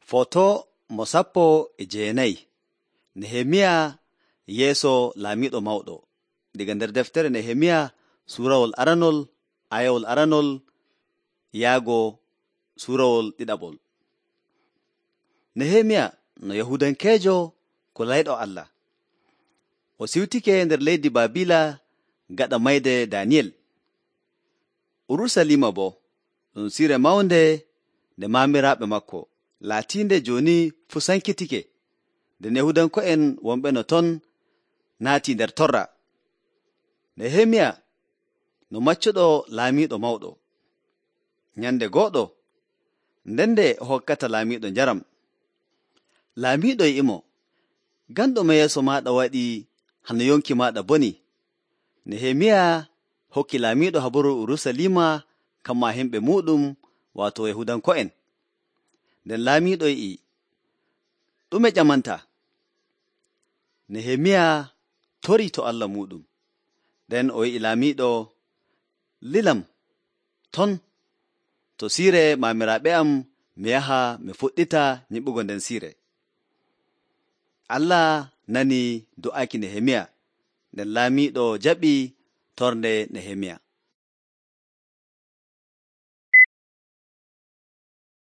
Foto mo 14 Nehemiya yeeso laamiiɗo mawɗo. Diga nder deftere Nehemiya suurawol aranol ayawol aranol yaago suurawol ɗiɗaɓol. Nehemiya no Yahudankeejo ko layɗo Allah. O siwtike nder leydi Baabila gaɗa mayde Daniyel. Urusalima boo ɗum siire mawnde nde maamiraaɓe makko laatiinde jooni fuu sankitike, nden Yahudanko'en wonɓe no ton naatii nder torra. Nehemiya no maccuɗo laamiiɗo mawɗo. Nyande gooɗo, nden nde o hokkata laamiiɗo njaram. Laamiiɗo yi'imo, ngam ɗume yeeso maaɗa waɗi hano yonki maaɗa boni? Nehemiya hokki laamiiɗo habaru Urusalima kamma himɓe muuɗum, waato Yahudanko'en. Nden laamiiɗo yi'i, ɗume ƴamanta? Nehemiya torii to Allah muuɗum. Nden o yi'i laamiiɗo, lilam ton to siire maamiraaɓe am mi yaha mi fuɗɗita nyiɓugo nden siire. Allah nani do'aaki Nehemiya, nden laamiiɗo jaɓi tornde Nehemiya.